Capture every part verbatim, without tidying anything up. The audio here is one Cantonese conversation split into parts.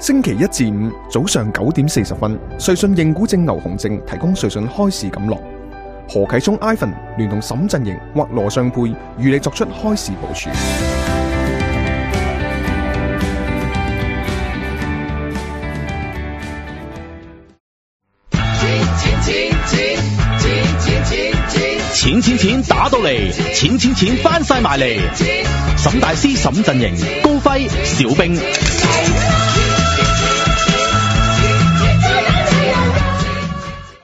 星期一至五早上九點四十分，瑞信認股證牛熊證提供瑞信開市錦囊。何啟聰 Ivan 聯同沈振盈或羅尚佩與你作出開市部署。錢錢錢打到嚟，錢錢錢翻晒埋嚟。沈大師、沈振盈、高輝、小冰。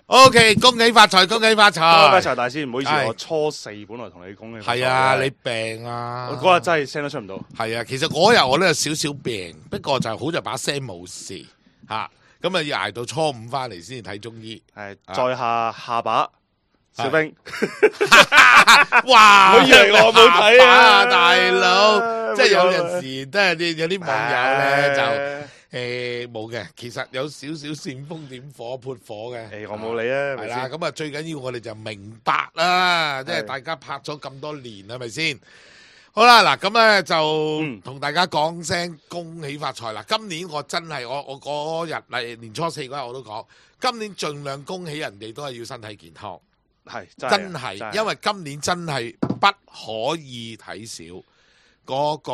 O K， 恭喜發財，恭喜發財！發財大師，唔好意思，我初四本來同你講嘅。係啊，你病啊！我嗰日真係聲都出唔到。係啊，其實嗰日我都有少少病，不過就好在把聲冇事嚇，咁啊要捱到初五翻嚟先至睇中醫。係，在下下巴小冰。哇！我以為我冇睇啊，大佬，即係有陣時都係啲有啲網友咧就。誒冇嘅，其實有少少煽風點火潑火嘅。誒我冇理啊，係啦，咁啊最緊要我哋就明白啦，即係大家拍咗咁多年係咪先？好啦，嗱咁咧就同大家講聲恭喜發財啦！今年我真係我我嗰日嚟年初四嗰日我都講，今年盡量恭喜人哋都係要身體健康，係真係，因為今年真係不可以睇少嗰個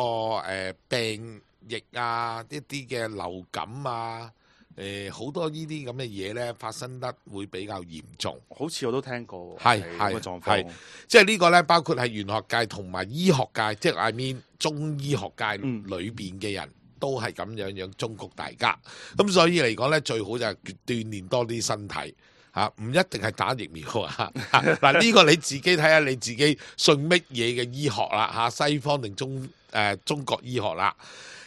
誒病。疫啊，一啲嘅流感啊，誒、呃、好多呢啲咁嘅嘢咧發生得會比較嚴重。好似我都聽過，係係係，即係呢個咧包括係玄學界同埋醫學界，即係 I mean 中醫學界裏邊嘅人、嗯、都係咁樣樣忠告大家。咁所以嚟講咧，最好就係鍛鍊多啲身體嚇，唔、啊、一定係打疫苗啊。嗱呢個你自己睇下你自己信乜嘢嘅醫學啦嚇、啊，西方定中誒、呃、中國醫學啦。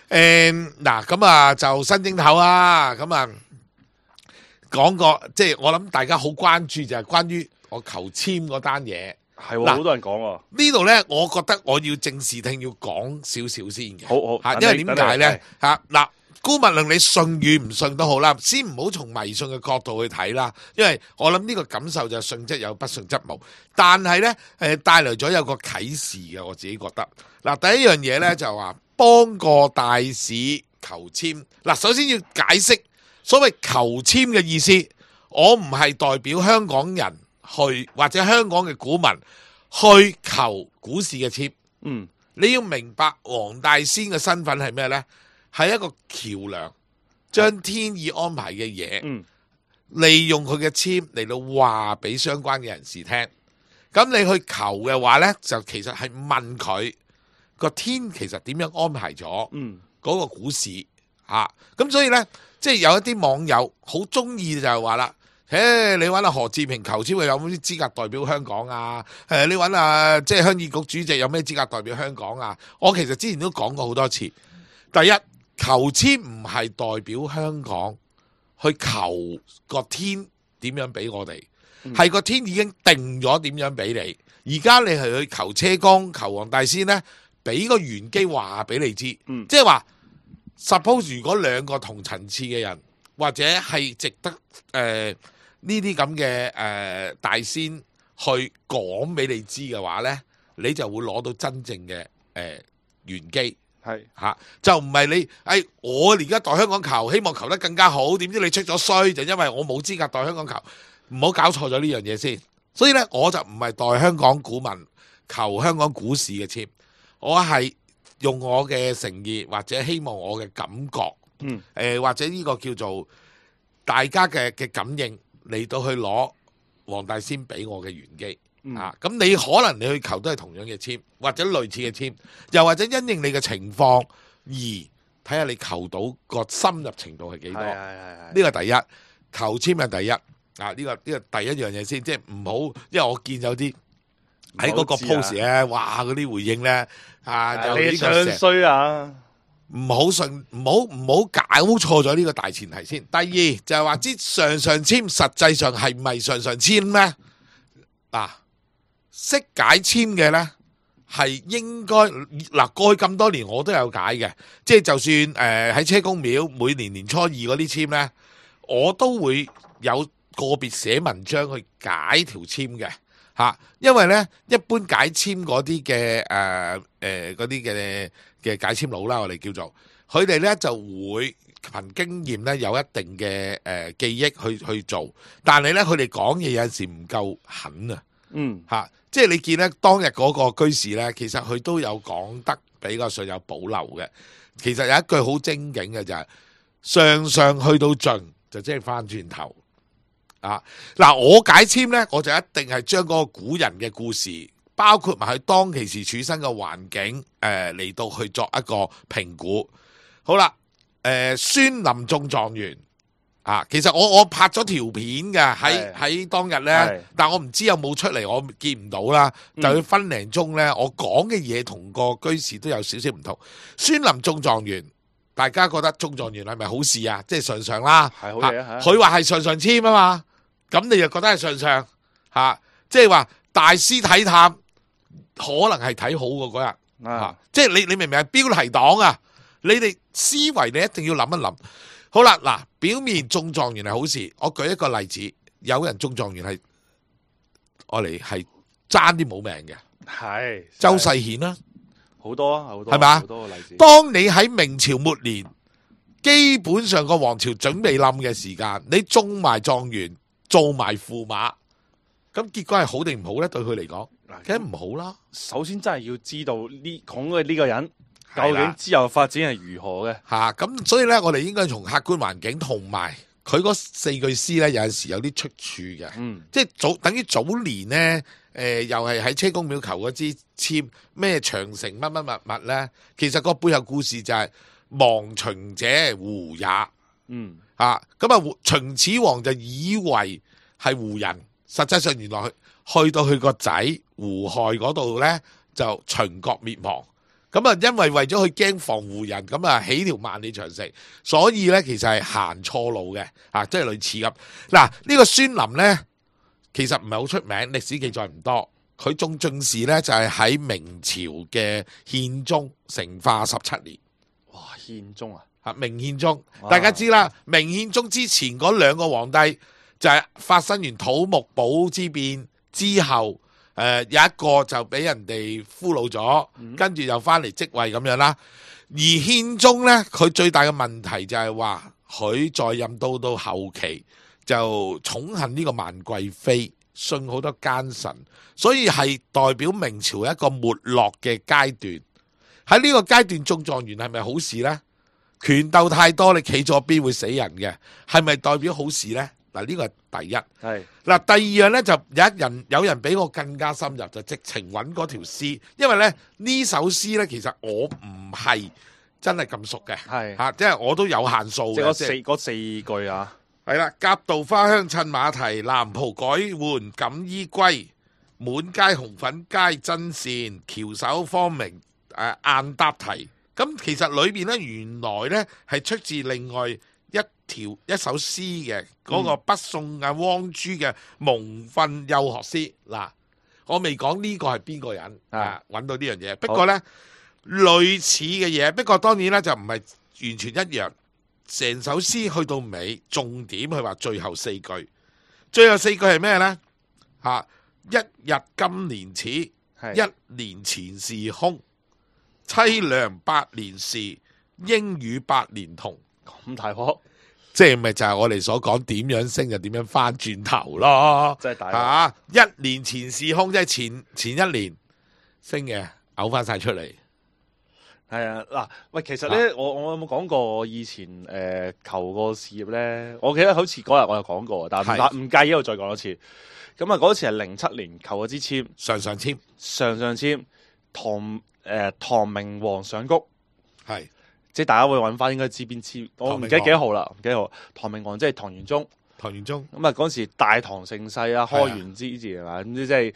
誒，嗱咁啊就新正頭啊，咁啊講個即係我諗大家好關注就係關於我求簽嗰單嘢，係好多人講喎。呢度咧，我覺得我要正視聽，要講少少先嘅。好好吓，因為點解咧吓嗱？姑勿論你信與唔信都好啦，先唔好從迷信嘅角度去睇啦，因為我諗呢個感受就係信則有，不信則無。但係咧誒，帶來咗有個啟示嘅，我自己覺得嗱，第一樣嘢咧就話。幫個大使求簽嗱，首先要解釋所謂求簽嘅意思，我唔係代表香港人去或者香港嘅股民去求股市嘅簽。嗯，你要明白黃大仙嘅身份係咩呢？係一個橋梁，將天意安排嘅嘢，嗯，利用佢嘅簽嚟到話俾相關嘅人士聽。咁你去求嘅話呢，就其實係問佢。個天其實點樣安排咗嗰個股市嚇？咁、嗯啊、所以呢，即係有一啲網友好中意就係話啦，誒你揾阿何志平求簽，有冇啲資格代表香港啊？誒你揾啊，即係鄉議局主席有咩資格代表香港啊？我其實之前都講過好多次。第一，求簽唔係代表香港去求個天點樣俾我哋，係、嗯、個天已經定咗點樣俾你。而家你係去求車公、求黃大仙呢。俾個玄機話俾你知，嗯、即係話 suppose 如果兩個同層次嘅人，或者係值得誒呢啲咁嘅誒大仙去講俾你知嘅話咧，你就會攞到真正嘅誒玄機，係嚇、啊、就唔係你誒、哎、我而家代香港求，希望求得更加好，點知你出咗衰，就因為我冇資格代香港求，唔好搞錯咗呢樣嘢先。所以咧，我就唔係代香港股民求香港股市嘅簽。我係用我嘅誠意，或者希望我嘅感覺，嗯，誒、呃、或者呢個叫做大家嘅嘅感應嚟到去攞黃大仙俾我嘅玄機，嗯、啊，咁你可能你去求都係同樣嘅簽，或者類似嘅簽，又或者因應你嘅情況而睇下你求到個深入程度係幾多，係係係，呢個第一求簽係第一，啊呢、這個呢、這個第一樣嘢先，即係唔好，因為我見有啲。喺嗰個 post 咧，哇！嗰啲回應咧，啊，就呢個成衰啊！唔好信，唔好唔好搞錯咗呢個大前提先。第二就係話，之上上簽實際上係唔係上上簽咩？嗱，識解簽嘅咧，係應該嗱過去咁多年我都有解嘅，即係就算誒喺車公廟每年年初二嗰啲簽咧，我都會有個別寫文章去解條簽嘅。嚇，因為咧一般解簽嗰啲嘅誒誒嗰啲嘅嘅解簽佬啦，我哋叫做佢哋咧就會憑經驗咧有一定嘅誒、呃、記憶去去做，但係咧佢哋講嘢有陣時唔夠狠啊。嗯，嚇、啊，即係你見咧當日嗰個居士咧，其實佢都有講得比較上有保留嘅。其實有一句好精警嘅就係、是、上上去到盡，就即係翻轉頭。啊，嗱，我解簽咧，我就一定係將嗰個古人嘅故事，包括埋佢當其時處身嘅環境，誒、呃、嚟到去作一個評估。好啦，誒、呃、孫林中狀元。啊，其實我我拍咗條片嘅喺喺當日呢，但我唔知有冇出嚟，我見唔到啦。就佢分零鐘呢，我講嘅嘢同個居士都有少少唔同。孫林中狀元，大家覺得中狀元係咪好事啊？即係上上啦，係好嘢啊！佢話係上上簽啊嘛，咁你又覺得係上上嚇？即係話大師睇探，可能係睇好嘅嗰日啊！即係你你明唔明係標題黨啊？你哋思維你一定要諗一諗。好啦，嗱，表面中狀元係好事，我舉一個例子，有人中狀元係我嚟係爭啲冇命嘅，係周世顯啦，好多啊，好多係嘛？好多個例子。當你喺明朝末年，基本上個皇朝準備冧嘅時間，你中埋狀元，做埋駙馬，咁結果係好定唔好咧？對佢嚟講，梗係唔好啦。首先真係要知道呢講嘅呢個人。究竟之後發展係如何嘅？吓，咁所以咧，我哋應該從客觀環境同埋佢嗰四句詩咧，有陣時有啲出處嘅。嗯，即係早等於早年咧，誒、呃，又係喺車公廟求嗰支簽咩長城乜乜物物咧，其實個背後故事就係亡秦者胡也。嗯，啊，咁啊，秦始皇就以為係胡人，實際上原來去去到佢個仔胡亥嗰度咧，就秦國滅亡。咁啊，因為為咗佢驚防胡人，咁啊起條萬里長城，所以咧其實係行錯路嘅，啊，即係類似咁。嗱，呢個孫林咧，其實唔係好出名，歷史記載唔多。佢中進士咧就係喺明朝嘅憲宗成化十七年。哇，憲宗啊，啊明憲宗，大家知啦，明憲宗之前嗰兩個皇帝就係發生完土木堡之變之後。誒、呃、有一個就俾人哋俘虜咗，嗯、跟住又翻嚟即位咁樣啦。而憲宗呢，佢最大嘅問題就係話，佢在任到到後期就寵幸呢個萬貴妃，信好多奸臣，所以係代表明朝一個沒落嘅階段。喺呢個階段中狀元係咪好事呢？權鬥太多，你企咗邊會死人嘅，係咪代表好事呢？嗱，呢個係第一。係嗱，第二樣咧就有一人有人比我更加深入，就直情揾嗰條詩，因為咧呢首詩咧其實我唔係真係咁熟嘅，係嚇，即係我都有限數嘅。即係嗰四嗰四句啊，係啦，夾道花香襯馬蹄，藍袍改換錦衣歸，滿街紅粉皆真善，翹首芳名誒晏搭題。咁其實裏邊咧原來咧係出自另外一條一首詩嘅嗰、那個北宋啊汪朱嘅蒙訓幼學詩。嗱，我未講呢個係邊個人啊，揾到呢樣嘢。不過呢，類似嘅嘢，不過當然咧就唔係完全一樣。成首詩去到尾，重點佢話最後四句，最後四句係咩呢？吓、啊，一日今年始，一年前事空，凄涼百年事，應與百年同。咁大鑊，即係咪就係我哋所講點樣升就點樣翻轉頭咯？真係大鑊啊！一年前事空，即係前前一年升嘅，嘔翻晒出嚟。係啊，嗱，喂，其實咧，我我有冇講過我以前誒、呃、求過事業咧？我記得好似嗰日我有講過，但係唔介意我再講多次。咁啊，嗰次係零七年求嗰支簽，上上簽，上上簽，唐誒、呃、唐明皇上谷，係。即係大家會揾翻應該知邊支，我唔記得幾多號啦，唔記得號。唐明皇即係唐玄宗，唐玄宗咁啊嗰陣時大唐盛世啊，開元之治係嘛，咁即係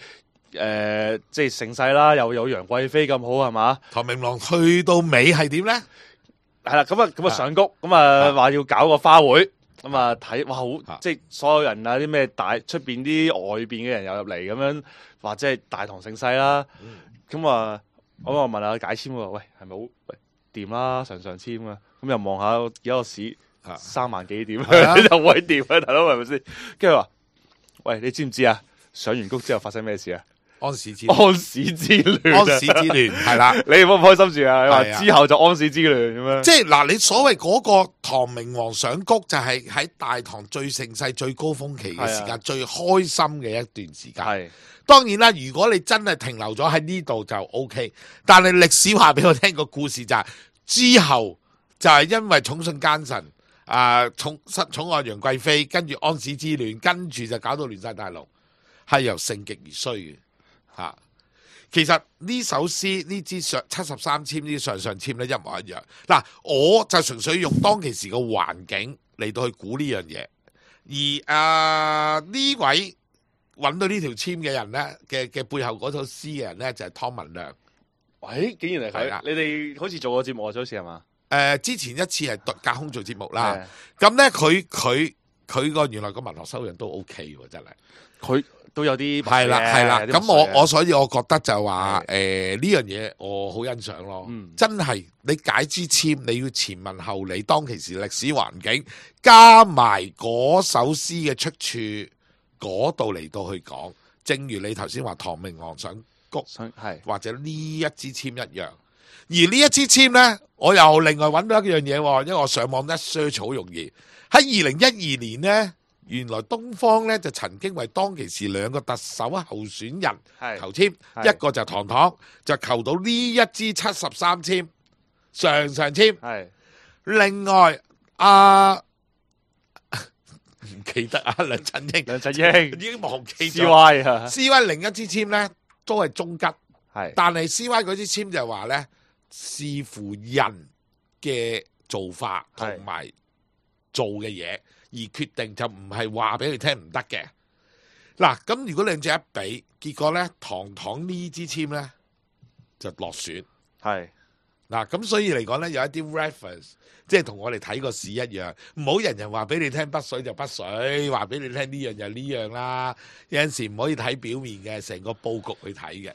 誒即係盛世啦，又有楊貴妃咁好係嘛？唐明皇去到尾係點咧？係啦，咁啊咁啊上谷，咁啊話要搞個花會，咁啊睇哇好，即係所有人啊啲咩大出邊啲外邊嘅人又入嚟咁樣，話即係大唐盛世啦。咁啊我我問下解簽喎，喂係咪好？喂掂啦，上上簽啊，咁又望下而家個市三萬幾點，又會掂啊，大佬係咪先？跟住話，喂，你知唔知啊？上完谷之後發生咩事啊？安史之亂安史之亂啊，安史之亂係啦。你唔好唔開心住啊！你話係啊之後就安史之亂咁樣，即係嗱，你所謂嗰個唐明皇上谷就係喺大唐最盛世、最高峰期嘅時間，係啊最開心嘅一段時間。係當然啦，如果你真係停留咗喺呢度就 O K，但係歷史話俾我聽個故事就係、之後就係因為寵信奸臣啊，寵失寵愛楊貴妃，跟住安史之亂，跟住就搞到亂晒大陸，係由盛極而衰嘅吓。啊其實呢首詩呢支上七十三籤呢啲上上籤咧一模一樣。嗱，我就純粹用當其時嘅環境嚟到去估呢樣嘢，而啊呢位揾到呢條籤嘅人咧嘅嘅背後嗰首詩嘅人咧就係、是、湯文亮。喂，竟然係係啊佢，你哋好似做過節目啊，好似係嘛？誒、呃、之前一次係對隔空做節目啦係，咁咧佢佢佢個原來個文學修養都 O K 喎，真係。佢都有啲係啦係啦，咁有啲墨水嘅我我所以我覺得就話係誒呢樣嘢我好欣賞咯，嗯真係你解支籤你要前文後理，當其時歷史環境加埋嗰首詩嘅出處嗰度嚟到去講，正如你頭先話唐明皇上谷想係或者呢一支籤一樣，而呢一支籤呢，我又另外揾到一樣嘢喎，因為我上網一 search 好容易，喺二零一二年呢。原來東方咧就曾經為當其時兩個特首候選人係求籤，係一個就唐唐，就求到呢一支七十三籤上上籤。係另外啊唔記得啊，梁振英，梁振英已經忘記 C 咗。 Y 啊， C Y 另一支籤咧都係中吉，係但係 C Y 嗰支籤就話咧視乎人嘅做法同埋做嘅嘢。而決定就唔係話俾佢聽唔得嘅。嗱，咁如果兩隻一比，結果咧唐唐呢支籤咧就落選。係嗱，咁所以嚟講咧有一啲 reference，即係同我哋睇個市一樣，唔好人人話俾你聽北水就北水，話俾你聽呢樣就呢樣啦。有陣時唔可以睇表面嘅，成個佈局去睇嘅。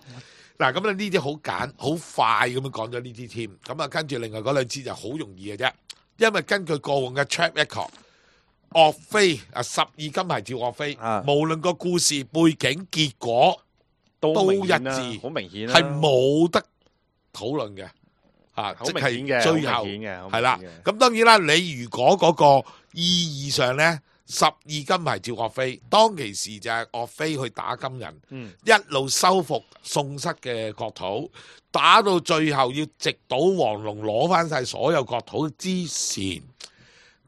嗱，咁咧呢啲好簡好快咁樣講咗呢支籤，咁啊跟住另外嗰兩支就好容易嘅啫，因為根據過往嘅 track record。岳飛啊，十二金牌照岳飛，啊無論個故事背景結果都都一明顯啦致，好明顯啦，係冇得討論嘅，嚇，好即明顯嘅，係最後好明顯嘅，好明顯嘅係啦。咁當然啦，你如果嗰個意義上咧，十二金牌照岳飛，當其時就係岳飛去打金人，嗯一路收復宋室嘅國土，打到最後要直搗黃龍攞翻晒所有國土之前，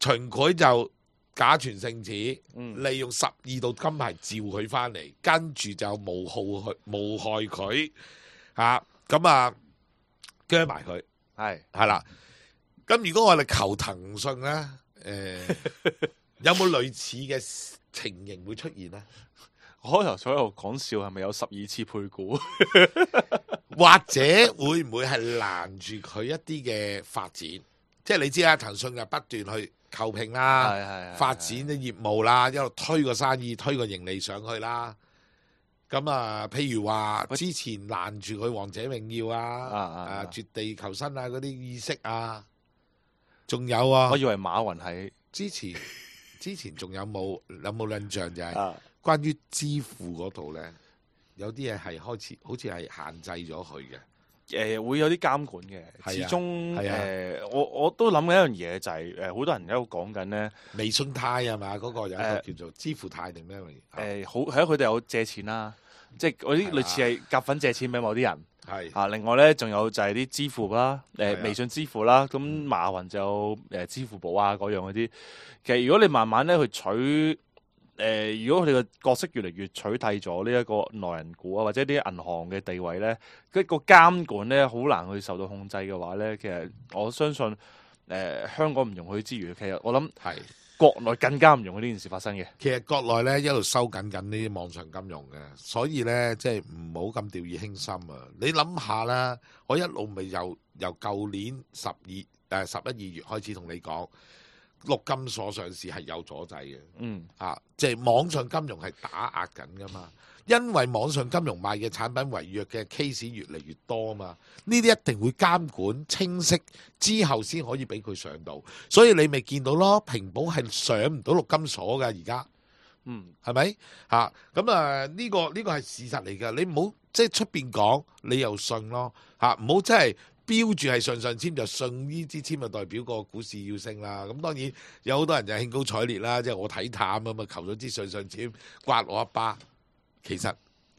秦檜就假傳聖旨，嗯利用十二道金牌召佢翻嚟，跟住就誣害佢，誣害佢嚇，咁啊鋸埋佢，係係啦。咁如果我哋求騰訊咧，誒、有冇類似嘅情形會出現咧？我開頭所有講笑係咪有十二次配股？或者會唔會係攔住佢一啲嘅發展？即係你知啦，騰訊就不斷去購併啦，係係係發展啲業務啦，一路推個生意、推個盈利上去啦。咁啊，譬如話之前攔住佢《王者榮耀》啊、啊啊啊誒絕地求生啊嗰啲意識啊，仲有啊我，以為馬雲係之前之前仲有冇有冇印象就係、啊關於支付嗰度咧，有啲嘢係開始好似係限制咗佢嘅。誒會有啲監管嘅，係啊始終係啊誒我我都諗緊一樣嘢就係誒好多人喺度講緊咧微信貸啊嘛，嗰、個有一個誒叫做支付貸定咩嚟？誒好係啊，佢哋有借錢啦，即係嗰啲係啦類似係夾份借錢俾某啲人。係啊，另外咧仲有就係啲支付啦，誒、係啊微信支付啦，咁馬雲就有誒支付寶啊嗰樣嗰啲。其實如果你慢慢咧去取誒、如果佢哋嘅角色越嚟越取締咗呢一個內人股啊，或者啲銀行嘅地位咧，一個監管咧好難去受到控制嘅話咧，其實我相信誒、香港唔容許之餘，其實我諗係。國內更加唔容許呢件事發生嘅。其實國內咧一路收緊緊呢啲網上金融嘅，所以咧即係唔好咁掉以輕心啊！你諗下啦，我一路咪由由舊年十二誒十一二月開始同你講，陸金所上市係有阻滯嘅。嗯，啊，即係網上金融係打壓緊噶嘛，因為網上金融賣嘅產品違約嘅 case 越嚟越多嘛，呢啲一定會監管清晰之後先可以俾佢上到，所以你咪見到咯，平保係上唔到陸金所噶而家。嗯，係咪嚇？咁啊呢個呢個係事實嚟㗎，你唔好即係出邊講，你又信咯嚇，唔好真係標住係信上籤就信呢支籤就代表個股市要升啦。咁當然有好多人就興高采烈啦，即係我睇淡啊嘛，求咗支信上籤刮我一巴，其實。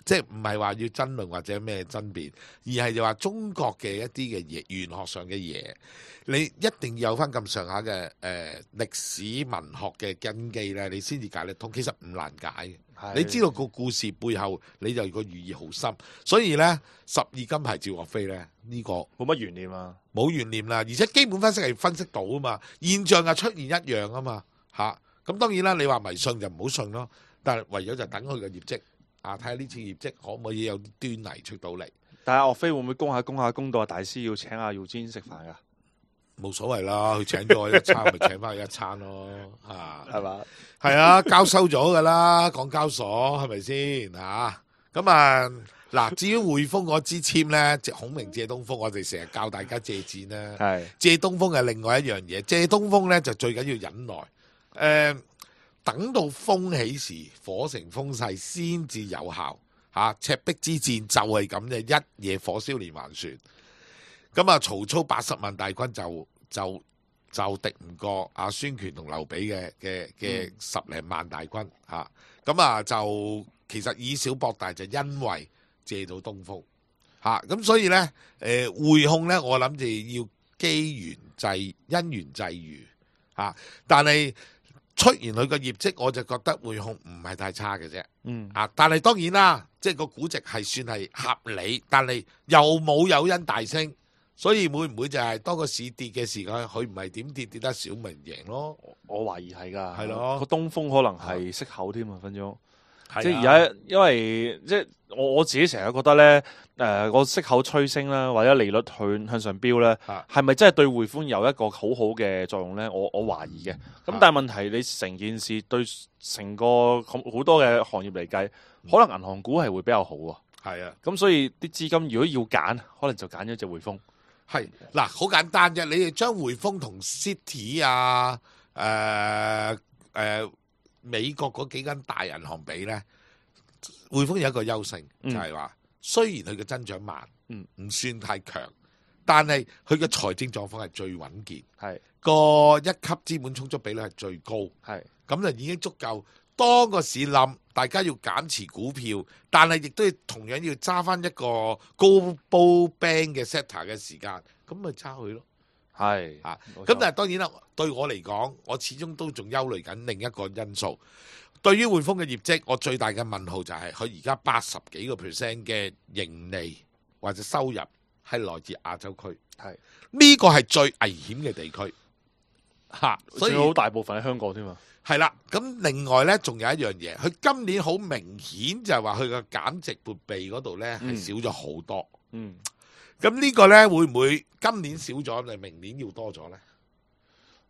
即係唔係話要爭論或者咩爭辯，而係就話中國嘅一啲嘅嘢，玄學上嘅嘢，你一定要有翻咁上下嘅誒歷史文學嘅根基咧，你先至解得通。其實唔難解嘅，你知道個故事背後，你就個寓意好深。所以咧，十二金牌趙岳飛咧，呢、這個冇乜懸念啊，冇懸念啦。而且基本分析係分析到啊嘛，現象又出現一樣啊嘛嚇。咁當然啦，你話迷信就唔好信咯，但係唯有就等佢嘅業績。啊！睇下呢次業績可唔可以有啲端倪出到嚟？但係岳飛會唔會攻下攻下攻到大師要請阿姚堅食飯㗎？冇所謂啦，佢請咗我一餐，咪請翻佢一餐咯，啊，係嘛？係啊，交收咗噶啦，港交所係咪先嚇？咁啊嗱，至於匯豐嗰支籤咧，即孔明借東風，我哋成日教大家借箭啦，係借東風係另外一樣嘢，借東風咧就最緊要忍耐，誒、呃。等到風起時，火成風勢先至有效嚇、啊。赤壁之戰就係咁嘅，一夜火燒連環船。咁啊，曹操八十萬大軍就就就敵唔過阿孫權同劉備嘅嘅嘅十零萬大軍嚇。咁啊，就其實以小博大，就因為借到東風嚇。咁、啊、所以呢，誒、呃、匯控呢，我諗就要機緣際因緣際遇嚇，但係。出現佢個業績，我就覺得匯控唔係太差嘅啫。嗯啊，但係當然啦，即係個估值係算係合理，但係又冇誘因大升，所以會唔會就係當個市跌嘅時間，佢唔係點跌跌得少，咪贏咯？我懷疑係㗎，係咯。個東風可能係息口添啊，分鐘。啊、即係而家，因為即係我我自己成日覺得咧，誒、呃、個息口趨升啦，或者利率去向上飆咧，係咪、啊、真係對匯豐有一個好好嘅作用咧？我我懷疑嘅。咁、啊、但係問題，你成件事對成個好多嘅行業嚟計，可能銀行股係會比較好喎。係啊，咁所以啲資金如果要揀，可能就揀咗隻匯豐。係嗱，好簡單啫，你哋將匯豐同 City 啊，誒、呃、誒。呃美國嗰幾間大銀行比咧，匯豐有一個優勝，就係、是、話雖然佢嘅增長慢，唔、嗯、算太強，但係佢嘅財政狀況係最穩健，係個一級資本充足比率係最高，係咁就已經足夠。當個市冧，大家要減持股票，但係亦都要同樣要揸翻一個高煲 band 嘅 setter 嘅時間，咁咪揸佢咯。係啊，咁但係當然啦，對我嚟講，我始終都仲憂慮緊另一個因素。對於匯豐嘅業績，我最大嘅問號就係佢而家八十幾個 percent 嘅盈利或者收入係來自亞洲區，係呢個係最危險嘅地區嚇，所以好大部分喺香港添嘛。係啦，咁另外呢，仲有一樣嘢，佢今年好明顯就係話佢個減值撥備嗰度呢係少咗好多，嗯。咁呢個呢，會唔會今年少咗，定明年要多咗呢？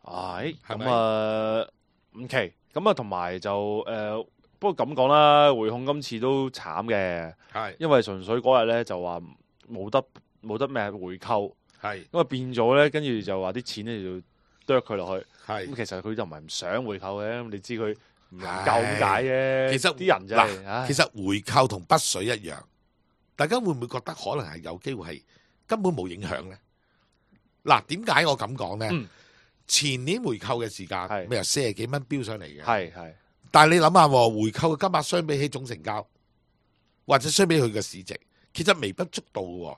係咁啊，唔奇咁啊，同埋就誒、呃，不過咁講啦，匯控今次都慘嘅，係因為純粹嗰日呢就話冇得冇得咩回購，係咁啊變咗呢，跟住就話啲錢呢就剁佢落去，係咁其實佢就唔係唔想回購嘅，你知佢唔能夠咁解嘅。其實啲人真係，其實回購同北水一樣，大家會唔會覺得可能係有機會係？根本冇影響咧。嗱，點解我咁講咧？嗯、前年回購嘅時間，咪由四十幾蚊飆上嚟嘅。係係。但係你諗下，回購嘅金額相比起總成交，或者相比佢嘅市值，其實微不足道嘅。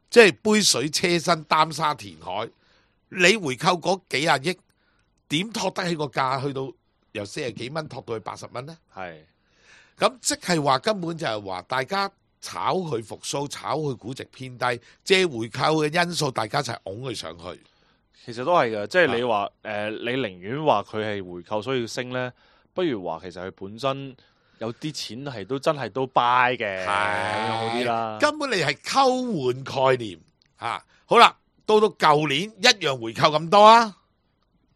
即係杯水車薪，擔沙填海。你回購嗰幾廿億，點托得起個價去到由四十幾蚊托到去八十蚊咧？係。咁即係話根本就係話大家。炒佢復甦，炒佢估值偏低，借回購嘅因素，大家一齊拱佢上去。其實都係嘅，即係你話誒、呃，你寧願話佢係回購所以要升咧，不如話其實佢本身有啲錢係都真係都 buy 嘅，咁樣好啲啦。根本你係溝換概念嚇、啊。好啦，到到舊年一樣回購咁多啊，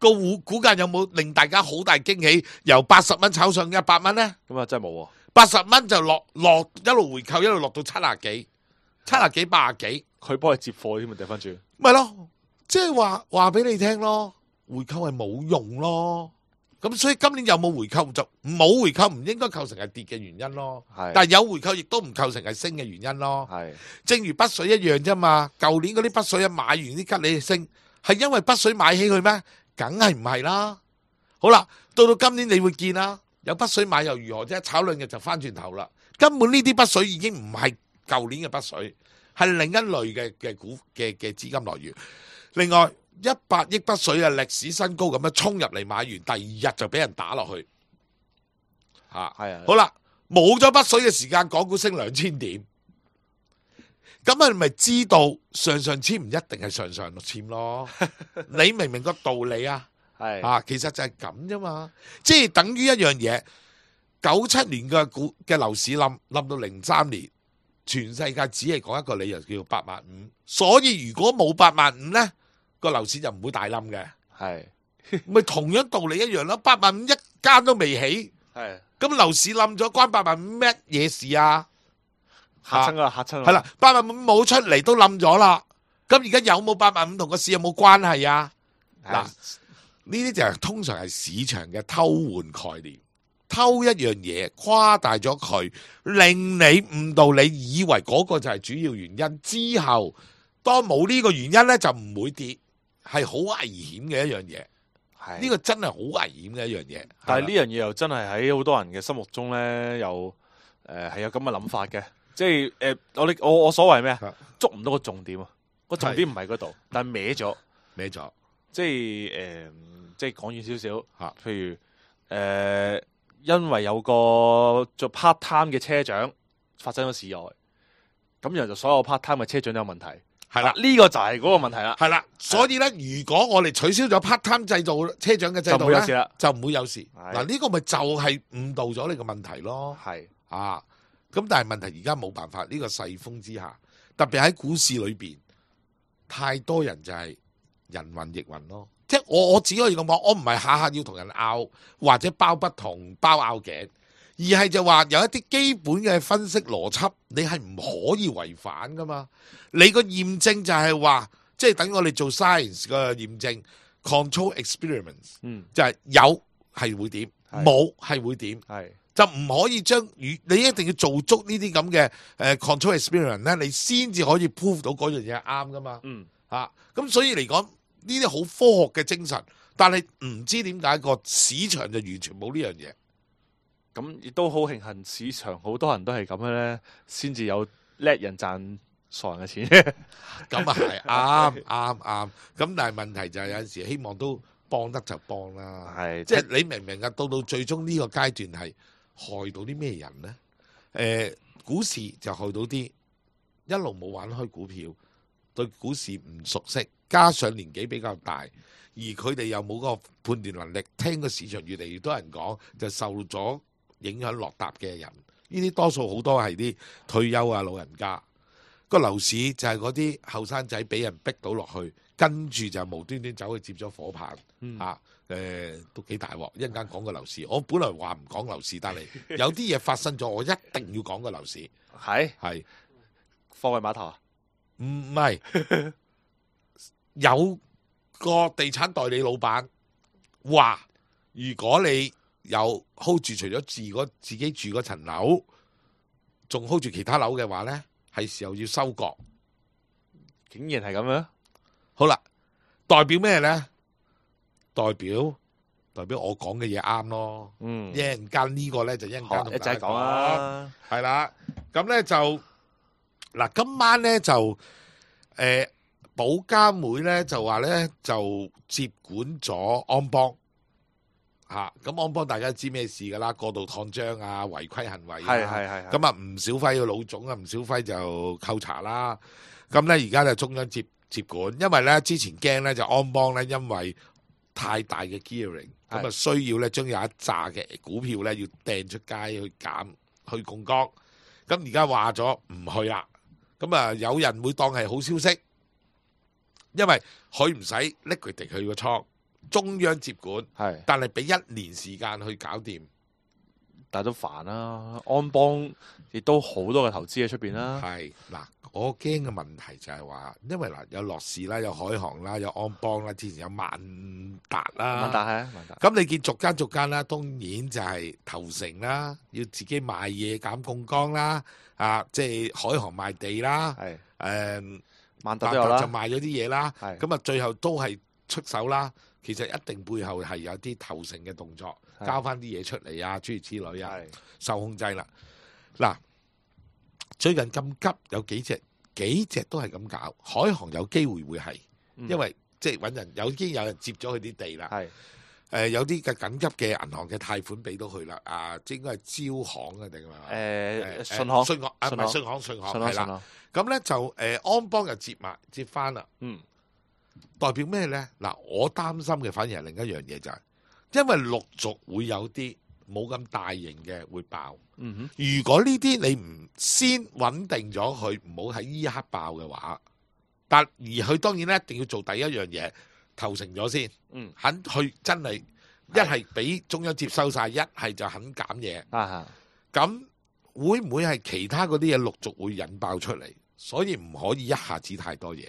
個股股價有冇令大家好大驚喜？由八十蚊炒上一百蚊咧？咁啊，真係冇喎。八十蚊就落落一路回購，一路落到七廿幾、七廿幾、八廿幾，佢幫佢接貨添啊！掉翻轉，咪咯，即係話話俾你聽咯，回購係冇用咯。咁所以今年有冇回購就冇回購，唔應該構成係跌嘅原因咯。係但係有回購亦都唔構成係升嘅原因咯。係正如北水一樣啫嘛。舊年嗰啲北水一買完啲吉利升，係因為北水買起佢咩？梗係唔係啦。好啦，到到今年你會見啦，有北水買又如何啫？炒兩日就翻轉頭啦。根本呢啲北水已經唔係舊年嘅北水，係另一類嘅嘅股嘅嘅資金來源。另外一百億北水啊，歷史新高咁樣衝入嚟買完，第二日就俾人打落去。吓係啊，好啦，冇咗北水嘅時間，港股升兩千點。咁啊，咪知道上上籤唔一定係上上籤咯？你明唔明個道理啊？係啊，其實就係咁啫嘛，即係等於一樣嘢。九七年嘅股嘅樓市冧冧到零三年，全世界只係講一個理由叫八萬五。所以如果冇八萬五呢，個樓市就唔會大冧嘅。係咪同樣道理一樣咯，八萬五一間都未起，係咁樓市冧咗，關八萬五咩嘢事啊？嚇親啊嚇親啊！係啦，八萬五冇出嚟都冧咗啦。咁而家有冇八萬五同個市有冇關係啊？嗱，呢啲就係通常係市場嘅偷換概念，偷一樣嘢誇大咗佢，令你誤導你以為嗰個就係主要原因。之後當冇呢個原因呢，就唔會跌，係好危險嘅一樣嘢。係呢個真係好危險嘅一樣嘢。但係呢樣嘢又真係喺好多人嘅心目中咧，又誒係有咁嘅諗法嘅。即係誒，我哋我我所謂咩啊？捉唔到個重點啊！個重點唔係嗰度，但係歪咗，歪咗。即係誒，即係講遠少少嚇，譬如誒，因為有個做 part time 嘅車長發生咗事外，咁然後就所有 part time 嘅車長都有問題。係啦，呢個就係嗰個問題啦。係啦，所以咧，如果我哋取消咗 part time 制度，車長嘅制就唔度咧，會有事啦，就唔會有事。係嗱，呢個咪就係誤導咗你個問題咯。係啊，咁但係問題而家冇辦法，呢個世風之下，特別喺股市裏邊，太多人就係人云亦云咯。即係我我只可以咁講，我唔係下下要同人拗，或者包不同包拗頸，而係就話有一啲基本嘅分析邏輯，你係唔可以違反噶嘛。你個驗證就係話，即係等我哋做 science 嘅驗證 control experiments，嗯，就係有係會點，係冇係會點。係就唔可以將與你一定要做足呢啲咁嘅誒 control experiment 咧，你先至可以 prove 到嗰樣嘢係啱噶嘛。嗯嚇，咁所以嚟講呢啲好科學嘅精神，但係唔知點解個市場就完全冇呢樣嘢。咁亦都好慶幸市場好多人都係咁樣咧，先至有叻人賺傻人嘅錢。咁啊係啱啱啱。咁但係問題就係有陣時希望都幫得就幫啦。係即係你明唔明啊？到到最終呢個階段係害到啲咩人呢？誒、呃，股市就害到啲一路冇玩開股票，對股市唔熟悉，加上年紀比較大，而佢哋又冇個判斷能力，聽個市場越嚟越多人講，就受咗影響落搭嘅人。呢啲多數好多係啲退休啊老人家。個樓市就係嗰啲後生仔俾人逼到落去，跟住就無端端走去接咗火棒。嗯啊，誒、呃、都幾大鑊！一陣間講個樓市，我本來話唔講樓市，但係有啲嘢發生咗，我一定要講個樓市。係係貨櫃碼頭啊？唔係有個地產代理老闆話，如果你有 hold 住除咗自嗰自己住嗰層樓，仲 hold 住其他樓嘅話咧，係時候要收割。竟然係咁樣？好啦，代表咩咧？代表代表我講嘅嘢啱咯。嗯，一陣間呢個咧就一陣間同一大家陣講啦。係啦，咁咧就嗱，今晚咧就誒保監會咧就話咧就接管咗安邦嚇，咁安邦大家知咩事㗎啦？過度擴張啊，違規行為啊，係係係係咁啊，吳小輝嘅老總啊，吳小輝就扣查啦。咁咧而家就中央接接管，因為咧之前驚咧就安邦咧因為太大嘅 gearing，咁啊需要咧將有一紮嘅股票咧要掟出街去減去槓桿。咁而家話咗唔去啦，咁啊有人會當係好消息，因為佢唔使 liquidate 佢個倉，中央接管，係但係俾一年時間去搞掂。但係都煩啦。安邦亦都好多嘅投資喺出邊啦。係嗱，我驚嘅問題就係話，因為嗱有樂視啦，有海航啦，有安邦啦，之前有萬達啦，萬達係啊，萬達。咁你見逐間逐間啦，當然就係投誠啦，要自己賣嘢減槓桿啦，啊，即係海航賣地啦，係誒，萬達都有啦，就賣咗啲嘢啦，係咁啊最後都係出手啦。其實一定背後係有啲投誠嘅動作，係交翻啲嘢出嚟啊，諸如此類啊，係受控制啦。嗱，最近咁急有幾隻幾隻都係咁搞，海航有機會會係，嗯因為即係揾人有已經有人接咗佢啲地啦。係誒、有啲嘅緊急嘅銀行嘅貸款俾到佢啦，啊，即應該係招行啊定係咪？誒信行信行啊，唔係信信行，信行信係啦。啦信啦，咁咧就誒、安邦又接埋接翻啦。嗯代表咩呢？嗱，我擔心嘅反而係另一樣嘢就係、因為陸續會有啲冇咁大型嘅會爆。嗯哼，如果呢啲你唔先穩定咗佢，唔好喺呢一刻爆嘅話，但而佢當然咧一定要做第一樣嘢，投誠咗先，嗯肯去真係一係俾中央接收晒，一係就肯減嘢。啊咁會唔會係其他嗰啲嘢陸續會引爆出嚟？所以唔可以一下子太多嘢。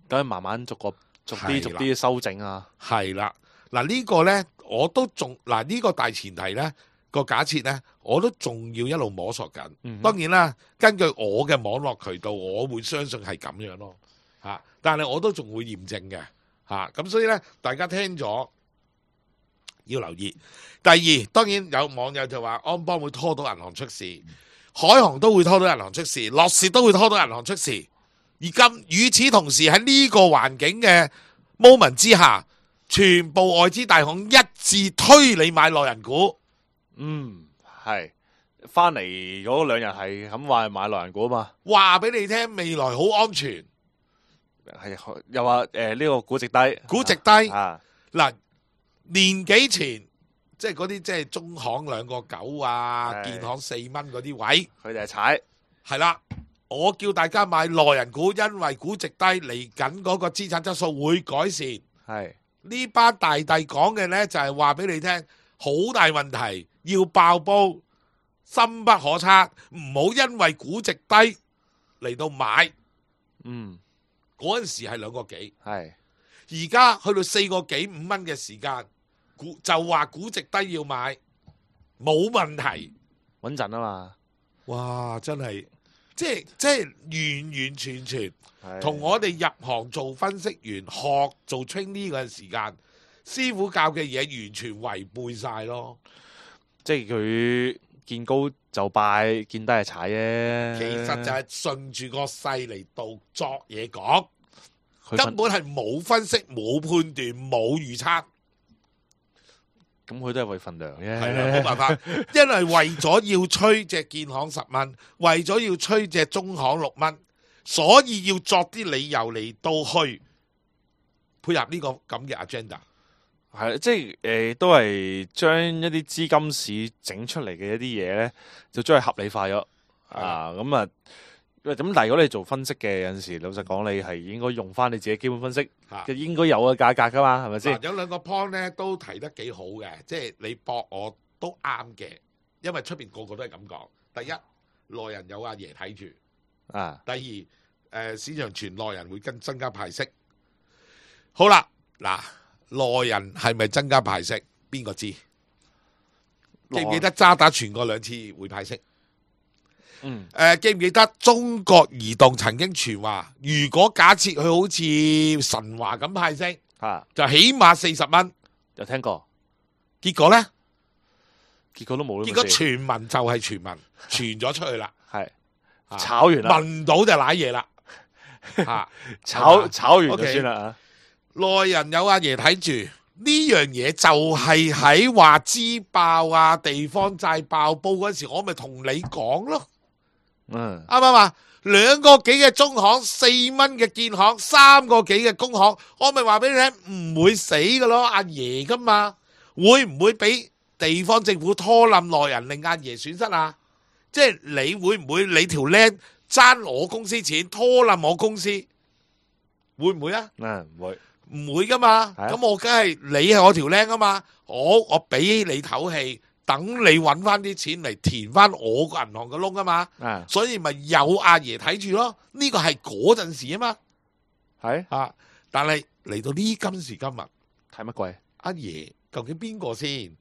等佢慢慢逐個逐係啦啲逐啲修整啊。係啦，嗱呢個呢，我都仲嗱呢個大前提呢個假設呢，我都仲要一路摸索緊。嗯哼當然啦，根據我嘅網絡渠道，我會相信係咁樣咯嚇。但係我都仲會驗證嘅嚇。咁所以呢，大家聽咗要留意。第二，當然有網友就話安邦會拖到銀行出事，海航都會拖到銀行出事，樂視都會拖到銀行出事。而今與此同時喺呢個環境嘅 moment 之下，全部外資大行一致推你買內人股。嗯，係翻嚟嗰兩日係咁話係買內人股啊嘛，話俾你聽，未來好安全，係又話誒呢個估值低，估值低。啊，嗱，年幾前即係嗰啲即係中行兩個九啊，係建行四蚊嗰啲位，佢哋係踩，係啦。我叫大家買內人股，因為估值低，嚟緊嗰個資產質素會改善。係呢班大帝講嘅呢，就係話俾你聽，好大問題，要爆煲，深不可測，唔好因為估值低嚟到買。嗯嗰陣時係兩個幾，係而家去到四個幾五蚊嘅時間，估就話估值低要買，冇問題。穩陣啊嘛，哇！真係，即係即係完完全全係同我哋入行做分析員學做 trainee 嗰陣時間，師傅教嘅嘢完全違背晒咯。即係佢見高就拜，見低係踩啫。其實就係順住個勢嚟到作嘢講，佢分根本係冇分析、冇判斷、冇預測，咁佢都係為份糧啫。係啦，冇辦法，因為為咗要吹隻建行十蚊，為咗要吹隻中行六蚊，所以要作啲理由嚟到去配合呢個咁嘅 agenda。係即係誒、呃，都係將一啲資金市整出嚟嘅一啲嘢咧，就將佢合理化咗啊！咁啊，咁但係如果你做分析嘅，有陣時老實講，你係應該用翻你自己基本分析嚇嘅應該有嘅價格噶嘛，係咪先嗱？有兩個 point 咧都提得幾好嘅，即係你駁我都啱嘅，因為出邊個個都係咁講。第一，內人有阿爺睇住；啊，第二，誒、呃、市場傳內人會跟增加派息。好啦，嗱，內人係咪增加派息？邊個知？記唔記得渣打傳過兩次會派息？嗯，誒、呃、記唔記得中國移動曾經傳話，如果假設佢好似神華咁派息，啊，就起碼四十蚊。有聽過，結果呢？結果都冇。結果傳聞就係傳聞，傳咗出去啦，係啊炒完啦，聞到就賴嘢啦，嚇炒炒完就 OK 算啦啊！內人有阿爺睇住呢樣嘢，就係喺話支爆啊、地方債爆煲嗰時，我咪同你講咯，嗯，啱唔啱啊？兩個幾嘅中行，四蚊嘅建行，三個幾嘅工行，我咪話俾你聽，唔會死噶咯，阿爺噶嘛，會唔會俾地方政府拖冧內人，令阿爺損失啊？即係你會唔會你條僆爭我公司錢，拖冧我公司，會唔會啊？嗯，唔會，唔會噶嘛，係啊咁我梗係你係我條僆啊嘛，我我俾你唞氣，等你揾翻啲錢嚟填翻我個銀行嘅窿啊嘛，啊所以咪有阿爺睇住咯。呢個係嗰陣時啊嘛，係啊！但係嚟到呢今時今日，睇乜鬼？阿爺究竟邊個先？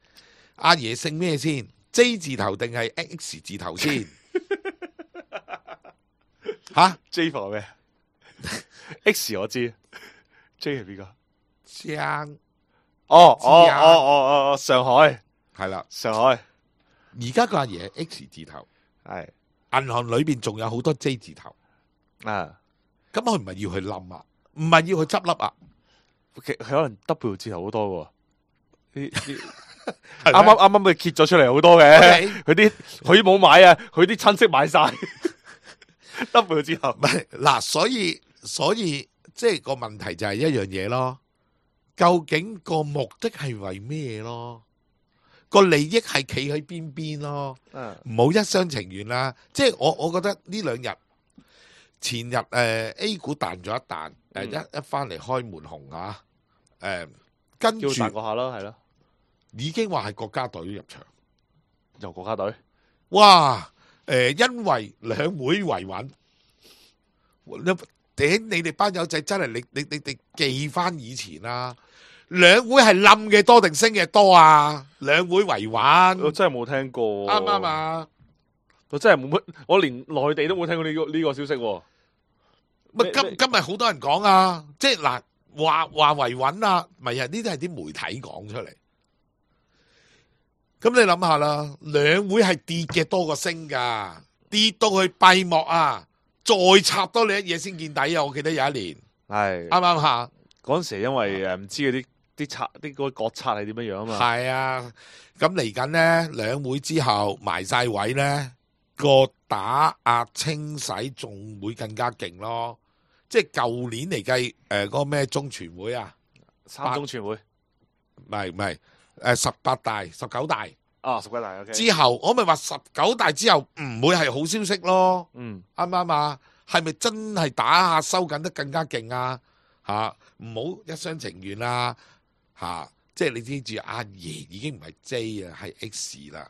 阿爺姓咩先 ？J 字頭定係 X 字頭先？吓 J 係咩？X 我知，J 係邊個？張哦哦知啊哦哦哦，上海係啦，上海而家個阿爺係 X 字頭，係銀行裏邊仲有好多 J 字頭，啊，咁佢唔係要去冧啊，唔係要去執笠啊，佢佢可能 W 字頭好多喎，呢呢啱啱啱啱啱佢揭咗出嚟好多嘅，佢啲佢冇買啊，佢啲親戚買晒 W 字頭，唔係嗱，所以所以即係個問題就係一樣嘢咯。究竟個目的係為咩咯？個利益係企喺邊邊咯？嗯唔好一廂情願啦。即係我我覺得呢兩日前日誒、呃、A 股彈咗一彈，誒、嗯、一一翻嚟開門紅啊！誒、呃、跟住叫彈過下啦，係咯，已經話係國家隊入場。由國家隊，哇！誒、呃，因為兩會維穩，頂你哋班友仔真係你你你你記翻以前啦。兩會係冧嘅多定升嘅多啊？兩會維我穩，真係冇聽過，啱唔啱啊？我真係冇乜，我連內地都冇聽過呢個呢個消息喎。咪今今日好多人講啊，即係嗱話話維穩啊，咪係呢啲係啲媒體講出嚟。咁你諗下啦，兩會係跌嘅多過升噶，跌到去閉幕啊，再插多你一嘢先見底啊！我記得有一年，係啱唔啱下？嗰陣時因為誒唔知嗰啲啲策啲嗰個國策係點樣樣啊嘛。係啊，咁嚟緊呢兩會之後埋晒位呢，個打壓清洗仲會更加勁咯。即係舊年嚟計，誒嗰個咩中全會啊，三中全會唔係唔係，誒十八大、十九大啊，十九大 OK 之後，我咪話十九大之後唔會係好消息咯。嗯，啱唔啱啊？係咪真係打下收緊得更加勁啊？吓，唔好一廂情願啦。吓，即係你知住阿爺已經唔係 J 啊，係 X 啦。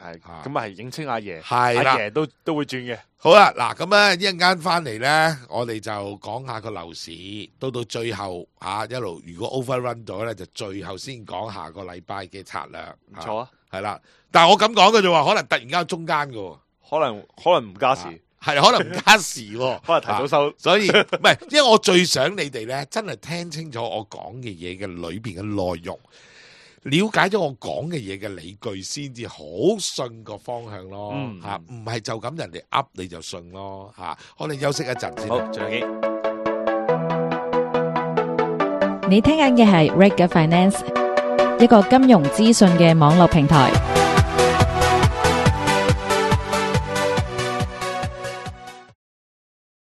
係啊咁啊，係認清阿爺，係啦阿爺都都會轉嘅。好啦，嗱咁咧一陣間翻嚟咧，我哋就講下個樓市，到到最後吓、啊、一路如果 overrun 咗咧，就最後先講下個禮拜嘅策略。唔錯啊，係啦。但係我咁講嘅啫喎，可能突然間中間嘅，可能可能唔加時，係、啊、可能唔加時喎，可能提早收。啊、所以唔係，因為我最想你哋咧，真係聽清楚我講嘅嘢嘅裏邊嘅內容。了解咗我講嘅嘢嘅理據，先至好信個方向咯嚇，唔係、嗯、就咁人哋噏你就信咯嚇。我哋休息一陣先。好，再見。你聽緊嘅係 Reg Finance，一個金融資訊嘅網絡平台。